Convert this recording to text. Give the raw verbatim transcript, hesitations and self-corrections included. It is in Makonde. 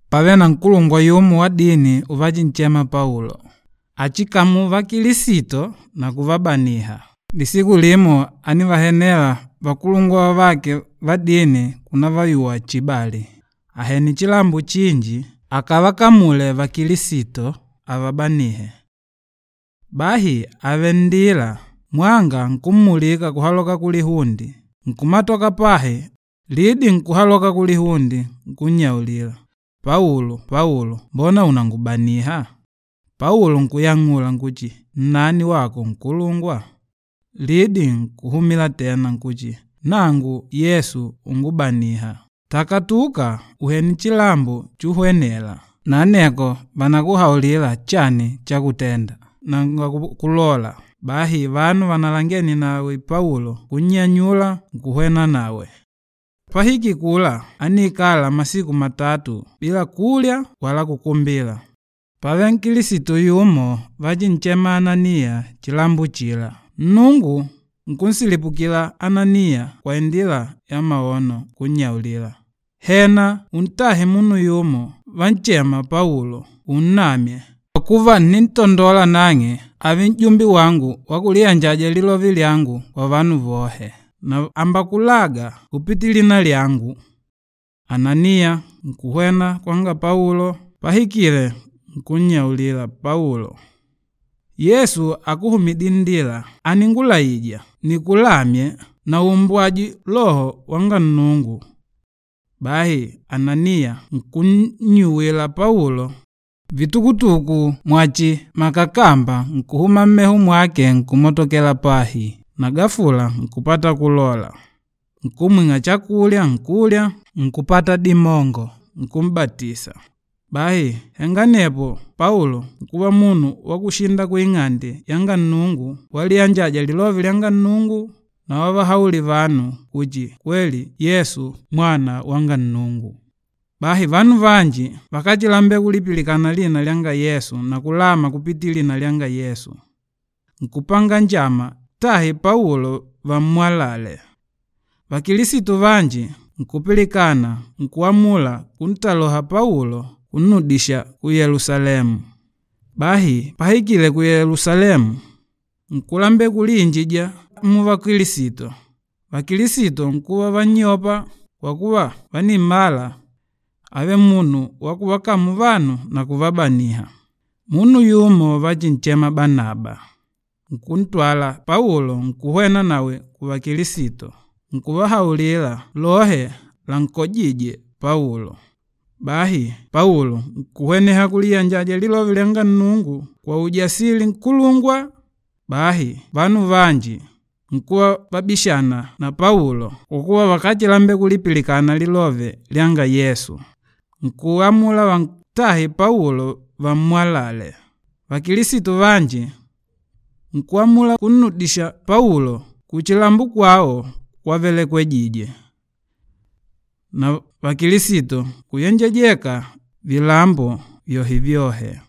Pave na nkulungwa yumo wa dini uvachinchema Paulo. Achikamu vakilisito na kuvabaniha. Lisiku limo ánivahenela vakulungwa vavake va dini kunavayuwa chibali. Ahene chilambo chinji akavakamule vakilisito avabanihe. Bahi àvele nndila, mwanga nkummulika kuhaloka kulihunde, nkumatoka pahi, lidi nkuhaloka kulihunde nkunnyaulila, “Paulo, Paulo, mbona unangubaniha?” Paulo nkuyang'ula nkuti, “Nnani wako nkulungwa?” Lidi nkuhumila tena nkuti, “Nangu Yesu úngubaniha. Takatuka uhwene nchilambo chuhwenela, na aneko vànakuhaulila chani chakutenda.” Nanga kulola. Bahi vanu vanalangene nawe Paulo nkunnyanyula nkuhwena nawe. Pahikile kula, ániikala masiku matatu bila kulya wala kukumbila. Pávele nkilisito yumo vachinchema Ananiya chilambo chila. Nnungu nkunsilipukila Ananiya kwa indila ya maono nkunnyaulila, “Hena untahe munu yumo vanchema Paulo unnamye, kwa kuva ǹnintondola nang'e ààve n'jumbe wangu wa kuliyanjaja lilove lyangu kwa vanu vohe, na àmbakulaga kupitila lina lyangu.” Ananiya nkuhwena kwanga Paulo, pahikile nkunnyaulila Paulo, “Yesu akuhumidîle nndila, àningulaija nikulamye na umbwaje Loho wanga Nnungu.” Bahi Ananiya nkunnyuwila Paulo, vitukutuku mwachi makakamba nkuhuma mmeho mwake nkumotokela pahi, na gafula nkupata kulola. Nkumwing'a chakulya nkulya, nkupata dimongo, nkum'batisa. Bahi henga anepo Paulo nkuva munu wa kushinda kuing'ande yanga Nnungu waliyanjaja lilove lyanga Nnungu na wavahaulila vanu kuchi kweli Yesu Mwana wanga Nnungu. Bahi vanu vanji vakáchilambela kulipilikana lina lyanga Yesu na kulama kupitila lina lyanga Yesu. Nkupanga njama tahe Paulo vammwalale. Vakilisitu vanji nkupilikana nkuamula kuntaloha Paulo kunnudisha ku Yelusalemu. Bahi pahikile ku Yelusalemu, nkulambela kuliinjija muvakilisito. Vakilisito nkuva vannyopa kwa kuva vánimmala ávele munu wa kuvakamu vanu na kuvabaniha. Munu yumo vachinchema Banaba, nkuntwala Paulo nkuhwena nawe kuvakilisito, nkuvahaulila lohe lankojîje Paulo. Bahi Paulo nkuhweneha kuliyanjaja lilove lyanga Nnungu kwa ujasili nkulungwa. Bahi vanu vanji nkuva vabishana na Paulo kwa kuva vakáchilambela kulipilikana lilove lyanga Yesu. Nkuamula vantahe Paulo vammwalale. Vakilisitu vanji nkuamula kunnudisha Paulo kuchilambo kwao kwavelekwejije. Na vakilisito nkuyenjejeka vilambo vyohe-vyohe.